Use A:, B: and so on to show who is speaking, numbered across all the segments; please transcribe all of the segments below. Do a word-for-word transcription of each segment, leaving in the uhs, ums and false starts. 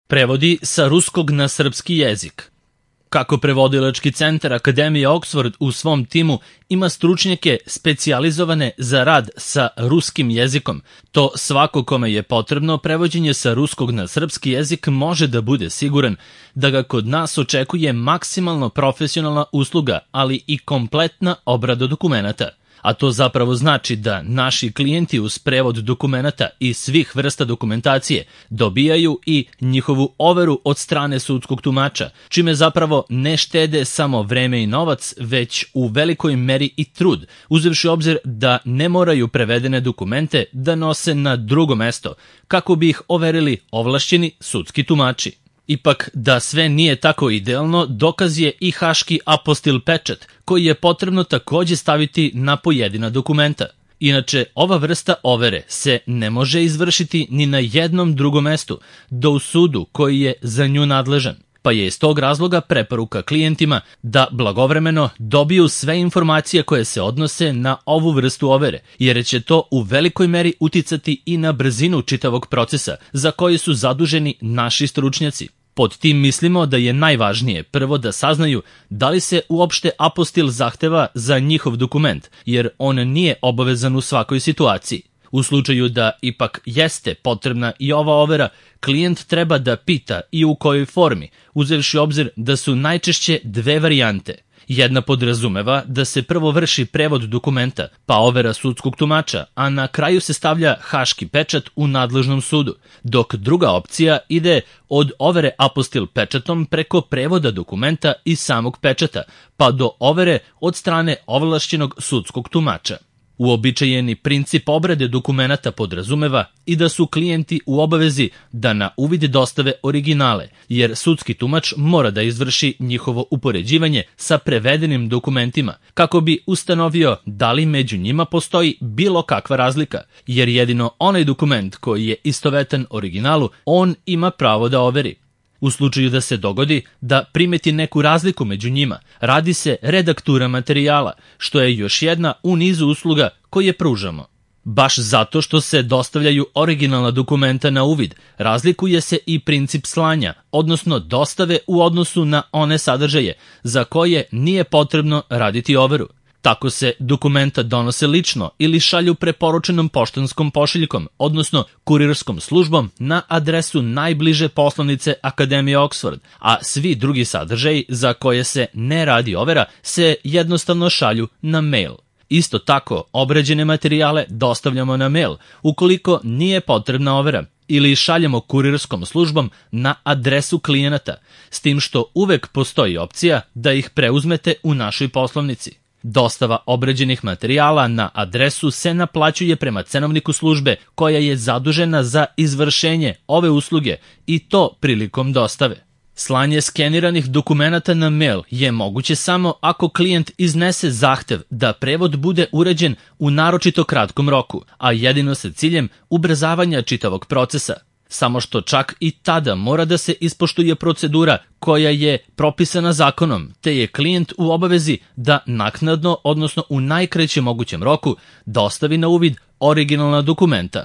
A: Prevodi sa ruskog na srpski jezik. Kako prevodilački centar Akademije Oxford u svom timu ima stručnjake specijalizovane za rad sa ruskim jezikom, to svako kome je potrebno prevođenje sa ruskog na srpski jezik može da bude siguran da ga kod nas očekuje maksimalno profesionalna usluga, ali i kompletna obrada dokumenata. A to zapravo znači da naši klijenti uz prevod dokumenata i svih vrsta dokumentacije dobijaju i njihovu overu od strane sudskog tumača, čime zapravo ne štede samo vreme i novac, već u velikoj meri i trud, uzevši obzir da ne moraju prevedene dokumente da nose na drugo mesto, kako bi ih overili ovlašćeni sudski tumači. Ipak, da sve nije tako idealno, dokaz je i haški apostil pečat, koji je potrebno takođe staviti na pojedina dokumenta. Inače, ova vrsta overe se ne može izvršiti ni na jednom drugom mestu, do u sudu koji je za nju nadležan. Pa je iz tog razloga preporuka klijentima da blagovremeno dobiju sve informacije koje se odnose na ovu vrstu overe, jer će to u velikoj meri uticati i na brzinu čitavog procesa za koji su zaduženi naši stručnjaci. Pod tim mislimo da je najvažnije prvo da saznaju da li se uopšte apostil zahteva za njihov dokument, jer on nije obavezan u svakoj situaciji. U slučaju da ipak jeste potrebna i ova overa, klijent treba da pita i u kojoj formi, uzevši obzir da su najčešće dve varijante. Jedna podrazumeva da se prvo vrši prevod dokumenta, pa overa sudskog tumača, a na kraju se stavlja haški pečat u nadležnom sudu, dok druga opcija ide od overe apostil pečatom preko prevoda dokumenta i samog pečata, pa do overe od strane ovlašćenog sudskog tumača. Uobičajeni princip obrade dokumenata podrazumeva i da su klijenti u obavezi da na uvid dostave originale, jer sudski tumač mora da izvrši njihovo upoređivanje sa prevedenim dokumentima, kako bi ustanovio da li među njima postoji bilo kakva razlika, jer jedino onaj dokument koji je istovetan originalu, on ima pravo da overi. U slučaju da se dogodi da primeti neku razliku među njima, radi se redaktura materijala, što je još jedna u nizu usluga koje pružamo. Baš zato što se dostavljaju originalna dokumenta na uvid, razlikuje se i princip slanja, odnosno dostave u odnosu na one sadržaje za koje nije potrebno raditi overu. Tako se dokumenta donose lično ili šalju preporučenom poštanskom pošiljkom, odnosno kurirskom službom na adresu najbliže poslanice Akademije Oxford, a svi drugi sadržaji za koje se ne radi overa se jednostavno šalju na mail. Isto tako, obrađene materijale dostavljamo na mail, ukoliko nije potrebna overa, ili šaljemo kurirskom službom na adresu klijenata, s tim što uvek postoji opcija da ih preuzmete u našoj poslovnici. Dostava obrađenih materijala na adresu se naplaćuje prema cenovniku službe koja je zadužena za izvršenje ove usluge i to prilikom dostave. Slanje skeniranih dokumenata na mail je moguće samo ako klijent iznese zahtev da prevod bude urađen u naročito kratkom roku, a jedino sa ciljem ubrzavanja čitavog procesa. Samo što čak i tada mora da se ispoštuje procedura koja je propisana zakonom, te je klijent u obavezi da naknadno, odnosno u najkraćem mogućem roku, dostavi na uvid originalna dokumenta.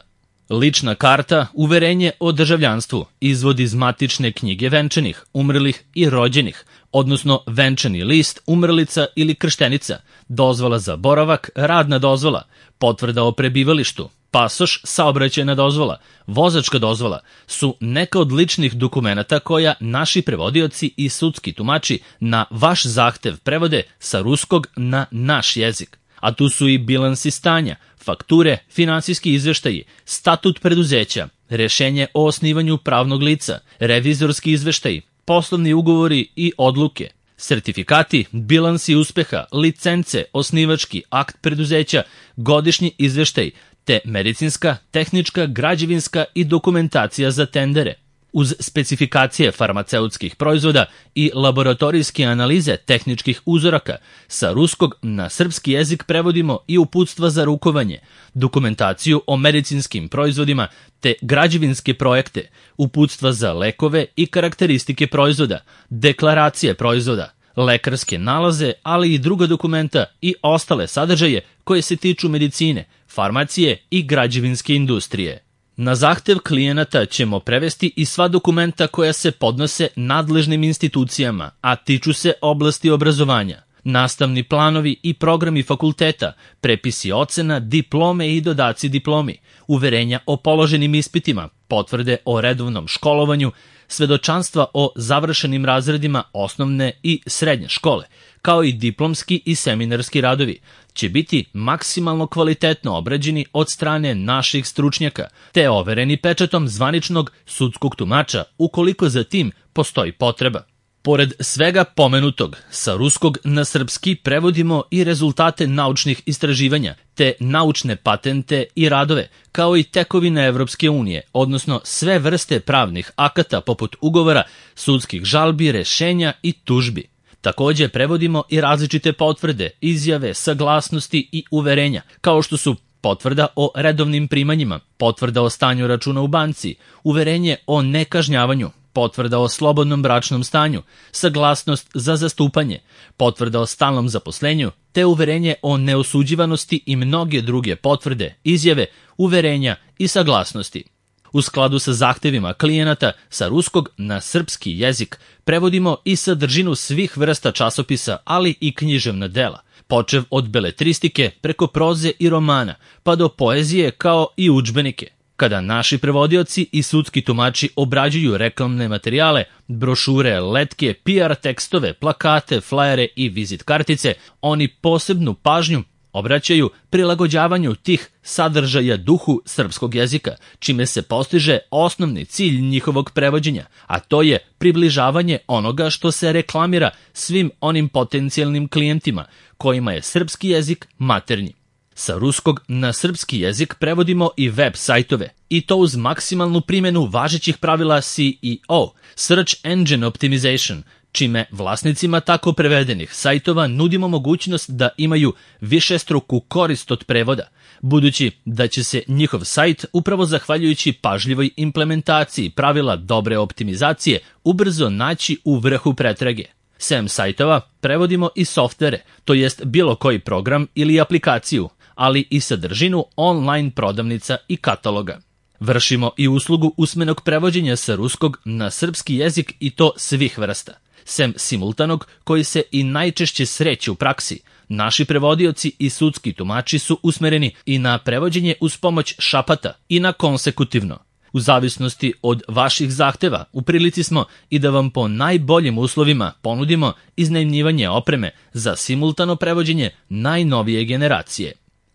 A: Lična karta, uverenje o državljanstvu, izvod iz matične knjige venčanih, umrlih i rođenih, odnosno venčani list, umrlica ili krštenica, dozvola za boravak, radna dozvola, potvrda o prebivalištu, pasoš, saobraćajna dozvola, vozačka dozvola su neka od ličnih dokumenata koja naši prevodioci i sudski tumači na vaš zahtev prevode sa ruskog na naš jezik. A tu su i bilansi stanja, fakture, finansijski izveštaji, statut preduzeća, rešenje o osnivanju pravnog lica, revizorski izveštaji, poslovni ugovori i odluke, sertifikati, bilansi uspeha, licence, osnivački akt preduzeća, godišnji izveštaj, te medicinska, tehnička, građevinska i dokumentacija za tendere. Uz specifikacije farmaceutskih proizvoda i laboratorijske analize tehničkih uzoraka, sa ruskog na srpski jezik prevodimo i uputstva za rukovanje, dokumentaciju o medicinskim proizvodima te građevinske projekte, uputstva za lekove i karakteristike proizvoda, deklaracije proizvoda, lekarske nalaze, ali i druga dokumenta i ostale sadržaje koje se tiču medicine, farmacije i građevinske industrije. Na zahtev klijenata ćemo prevesti i sva dokumenta koja se podnose nadležnim institucijama, a tiču se oblasti obrazovanja. Nastavni planovi i programi fakulteta, prepisi ocena, diplome i dodaci diplomi, uverenja o položenim ispitima, potvrde o redovnom školovanju, svedočanstva o završenim razredima osnovne i srednje škole, kao i diplomski i seminarski radovi, će biti maksimalno kvalitetno obrađeni od strane naših stručnjaka, te overeni pečatom zvaničnog sudskog tumača ukoliko za tim postoji potreba. Pored svega pomenutog, sa ruskog na srpski prevodimo i rezultate naučnih istraživanja, te naučne patente i radove, kao i tekovine Evropske unije, odnosno sve vrste pravnih akata poput ugovora, sudskih žalbi, rešenja i tužbi. Takođe prevodimo i različite potvrde, izjave, saglasnosti i uverenja, kao što su potvrda o redovnim primanjima, potvrda o stanju računa u banci, uverenje o nekažnjavanju, potvrda o slobodnom bračnom stanju, saglasnost za zastupanje, potvrda o stalnom zaposlenju, te uverenje o neosuđivanosti i mnoge druge potvrde, izjave, uverenja i saglasnosti. U skladu sa zahtevima klijenata, sa ruskog na srpski jezik prevodimo i sadržinu svih vrsta časopisa, ali i književna dela, počev od beletristike preko proze i romana, pa do poezije kao i udžbenike. Kada naši prevodioci i sudski tumači obrađuju reklamne materijale, brošure, letke, P R tekstove, plakate, flajere i vizit kartice, oni posebnu pažnju obraćaju prilagođavanju tih sadržaja duhu srpskog jezika, čime se postiže osnovni cilj njihovog prevođenja, a to je približavanje onoga što se reklamira svim onim potencijalnim klijentima, kojima je srpski jezik maternji. Sa ruskog na srpski jezik prevodimo i web sajtove, i to uz maksimalnu primjenu važećih pravila C E O, Search Engine Optimization, čime vlasnicima tako prevedenih sajtova nudimo mogućnost da imaju višestruku korist od prevoda, budući da će se njihov sajt, upravo zahvaljujući pažljivoj implementaciji pravila dobre optimizacije, ubrzo naći u vrhu pretrage. Sem sajtova prevodimo i softvere, to jest bilo koji program ili aplikaciju, ali i sadržinu online prodavnica i kataloga. Vršimo i uslugu usmenog prevođenja sa ruskog na srpski jezik i to svih vrsta. Sem simultanog, koji se i najčešće sreće u praksi, naši prevodioci i sudski tumači su usmereni i na prevođenje uz pomoć šapata i na konsekutivno. U zavisnosti od vaših zahteva, u prilici smo i da vam po najboljim uslovima ponudimo iznajmljivanje opreme za simultano prevođenje najnovije generacije.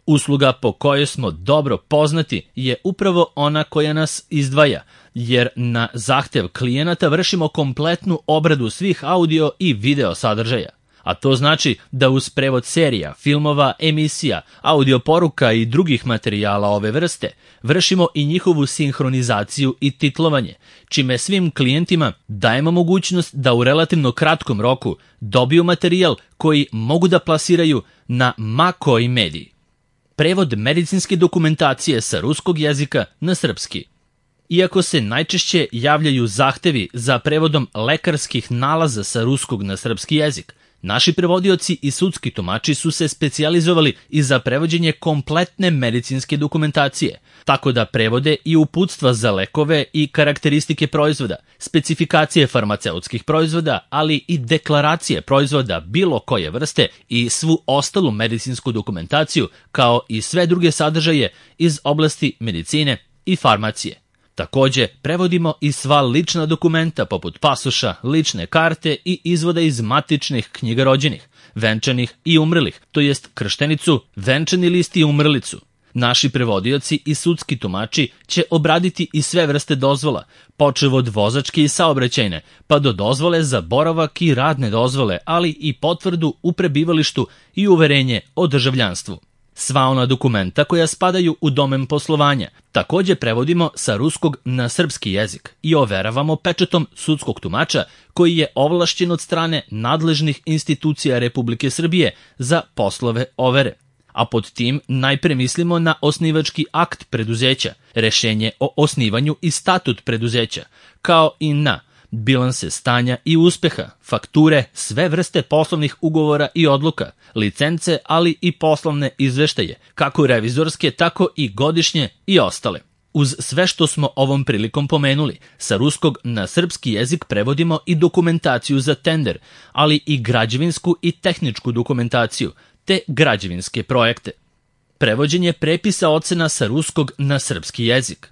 A: Usluga po kojoj smo dobro poznati je upravo ona koja nas izdvaja, jer na zahtev klijenata vršimo kompletnu obradu svih audio i video sadržaja. A to znači da uz prevod serija, filmova, emisija, audio poruka i drugih materijala ove vrste vršimo i njihovu sinhronizaciju i titlovanje, čime svim klijentima dajemo mogućnost da u relativno kratkom roku dobiju materijal koji mogu da plasiraju na ma koji mediji. Prevod medicinske dokumentacije sa ruskog jezika na srpski. Iako se najčešće javljaju zahtevi za prevodom lekarskih nalaza sa ruskog na srpski jezik, naši prevodioci i sudski tumači su se specijalizovali i za prevođenje kompletne medicinske dokumentacije, tako da prevode i uputstva za lekove i karakteristike proizvoda, specifikacije farmaceutskih proizvoda, ali i deklaracije proizvoda bilo koje vrste i svu ostalu medicinsku dokumentaciju, kao i sve druge sadržaje iz oblasti medicine i farmacije. Takođe, prevodimo i sva lična dokumenta poput pasoša, lične karte i izvoda iz matičnih knjiga rođenih, venčanih i umrlih, to jest krštenicu, venčani list i umrlicu. Naši prevodioci i sudski tumači će obraditi i sve vrste dozvola, počev od vozačke i saobraćajne, pa do dozvole za boravak i radne dozvole, ali i potvrdu u prebivalištu i uverenje o državljanstvu. Sva ona dokumenta koja spadaju u domen poslovanja takođe prevodimo sa ruskog na srpski jezik i overavamo pečatom sudskog tumača koji je ovlašćen od strane nadležnih institucija Republike Srbije za poslove overe. A pod tim najpre mislimo na osnivački akt preduzeća, rešenje o osnivanju i statut preduzeća, kao i na bilanse stanja i uspeha, fakture, sve vrste poslovnih ugovora i odluka, licence, ali i poslovne izveštaje, kako revizorske, tako i godišnje i ostale. Uz sve što smo ovom prilikom pomenuli, sa ruskog na srpski jezik prevodimo i dokumentaciju za tender, ali i građevinsku i tehničku dokumentaciju, te građevinske projekte. Prevođenje prepisa ocena sa ruskog na srpski jezik.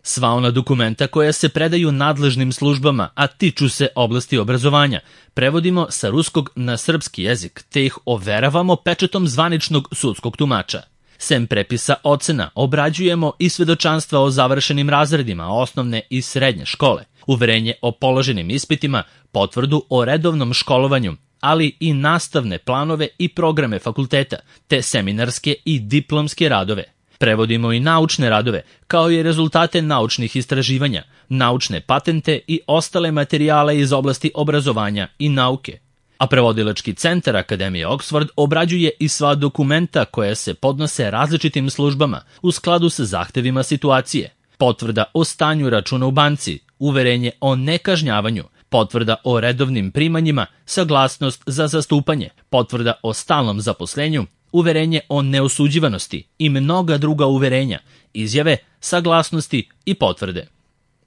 A: Sva ona dokumenta koja se predaju nadležnim službama, a tiču se oblasti obrazovanja, prevodimo sa ruskog na srpski jezik, te ih overavamo pečatom zvaničnog sudskog tumača. Sem prepisa ocena, obrađujemo i svedočanstva o završenim razredima osnovne i srednje škole, uverenje o položenim ispitima, potvrdu o redovnom školovanju, ali i nastavne planove i programe fakulteta, te seminarske i diplomske radove. Prevodimo i naučne radove, kao i rezultate naučnih istraživanja, naučne patente i ostale materijale iz oblasti obrazovanja i nauke. A prevodilački centar Akademije Oxford obrađuje i sva dokumenta koja se podnose različitim službama u skladu sa zahtevima situacije. Potvrda o stanju računa u banci, uverenje o nekažnjavanju, potvrda o redovnim primanjima, saglasnost za zastupanje, potvrda o stalnom zaposlenju, uverenje o neosuđivanosti i mnoga druga uverenja, izjave, saglasnosti i potvrde.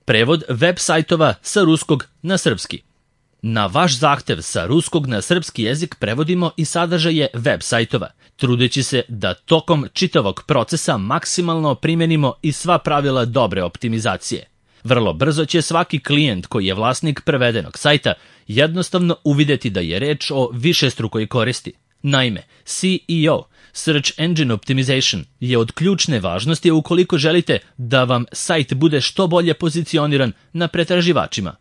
A: Prevod web sajtova sa ruskog na srpski. Na vaš zahtev sa ruskog na srpski jezik prevodimo i sadržaje web sajtova, trudeći se da tokom čitavog procesa maksimalno primenimo i sva pravila dobre optimizacije. Vrlo brzo će svaki klijent koji je vlasnik prevedenog sajta jednostavno uvideti da je reč o višestrukoj koristi. Naime, S E O, Search Engine Optimization, je od ključne važnosti ukoliko želite da vam sajt bude što bolje pozicioniran na pretraživačima.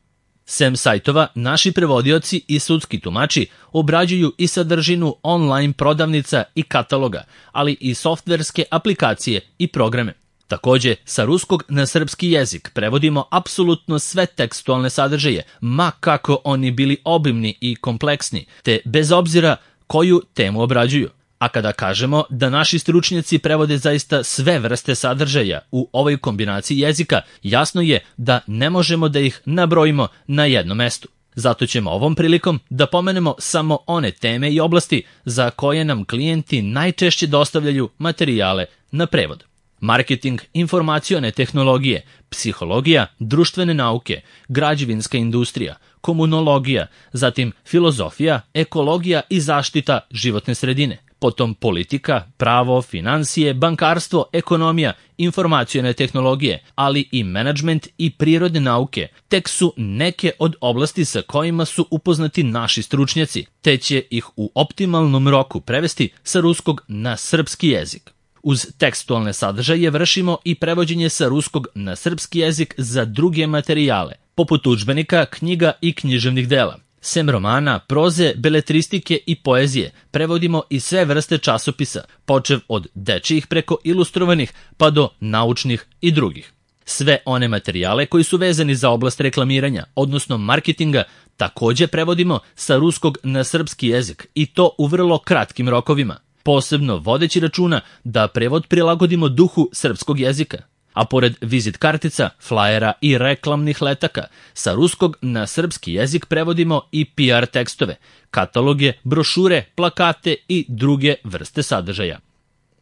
A: Sem sajtova, naši prevodioci i sudski tumači obrađuju i sadržinu online prodavnica i kataloga, ali i softverske aplikacije i programe. Takođe, sa ruskog na srpski jezik prevodimo apsolutno sve tekstualne sadržaje, ma kako oni bili obimni i kompleksni, te bez obzira koju temu obrađuju. A kada kažemo da naši stručnjaci prevode zaista sve vrste sadržaja u ovoj kombinaciji jezika, jasno je da ne možemo da ih nabrojimo na jednom mestu. Zato ćemo ovom prilikom da pomenemo samo one teme i oblasti za koje nam klijenti najčešće dostavljaju materijale na prevod. Marketing, informacione tehnologije, psihologija, društvene nauke, građevinska industrija, komunologija, zatim filozofija, ekologija i zaštita životne sredine. Potom politika, pravo, finansije, bankarstvo, ekonomija, informacione tehnologije, ali i menadžment i prirodne nauke, tek su neke od oblasti sa kojima su upoznati naši stručnjaci, te će ih u optimalnom roku prevesti sa ruskog na srpski jezik. Uz tekstualne sadržaje vršimo i prevođenje sa ruskog na srpski jezik za druge materijale, poput udžbenika, knjiga i književnih dela. Sem romana, proze, beletristike i poezije, prevodimo i sve vrste časopisa, počev od dečijih preko ilustrovanih pa do naučnih i drugih. Sve one materijale koji su vezani za oblast reklamiranja, odnosno marketinga, takođe prevodimo sa ruskog na srpski jezik i to u vrlo kratkim rokovima, posebno vodeći računa da prevod prilagodimo duhu srpskog jezika. A pored vizit kartica, flajera i reklamnih letaka, sa ruskog na srpski jezik prevodimo i P R tekstove, kataloge, brošure, plakate i druge vrste sadržaja.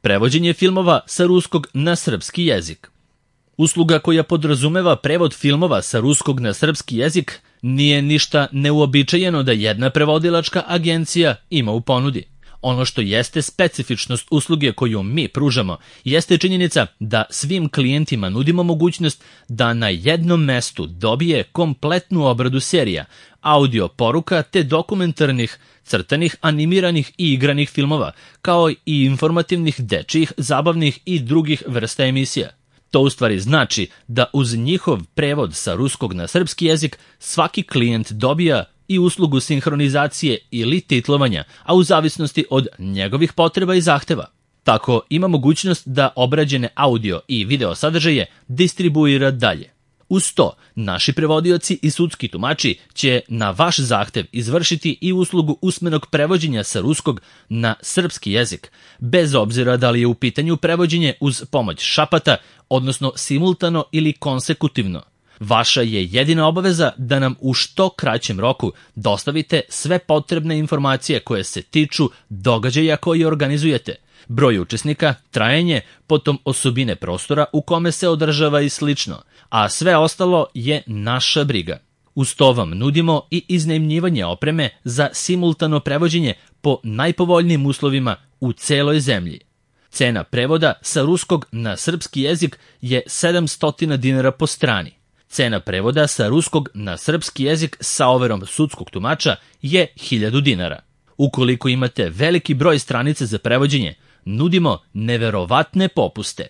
A: Prevođenje filmova sa ruskog na srpski jezik. Usluga koja podrazumeva prevod filmova sa ruskog na srpski jezik nije ništa neuobičajeno da jedna prevodilačka agencija ima u ponudi. Ono što jeste specifičnost usluge koju mi pružamo jeste činjenica da svim klijentima nudimo mogućnost da na jednom mestu dobije kompletnu obradu serija, audio poruka te dokumentarnih, crtanih, animiranih i igranih filmova, kao i informativnih dečijih, zabavnih i drugih vrsta emisija. To u stvari znači da uz njihov prevod sa ruskog na srpski jezik svaki klijent dobija i uslugu sinhronizacije ili titlovanja, a u zavisnosti od njegovih potreba i zahteva. Tako ima mogućnost da obrađene audio i video sadržaje distribuira dalje. Uz to, naši prevodioci i sudski tumači će na vaš zahtev izvršiti i uslugu usmenog prevođenja sa ruskog na srpski jezik, bez obzira da li je u pitanju prevođenje uz pomoć šapata, odnosno simultano ili konsekutivno. Vaša je jedina obaveza da nam u što kraćem roku dostavite sve potrebne informacije koje se tiču događaja koje organizujete, Broj učesnika, trajanje, potom osobine prostora u kome se održava i slično, a sve ostalo je naša briga. Uz to vam nudimo i iznajmljivanje opreme za simultano prevođenje po najpovoljnijim uslovima u celoj zemlji. Cena prevoda sa ruskog na srpski jezik je sedamsto dinara po strani. Cena prevoda sa ruskog na srpski jezik sa overom sudskog tumača je hiljadu dinara. Ukoliko imate veliki broj stranica za prevođenje, nudimo neverovatne popuste.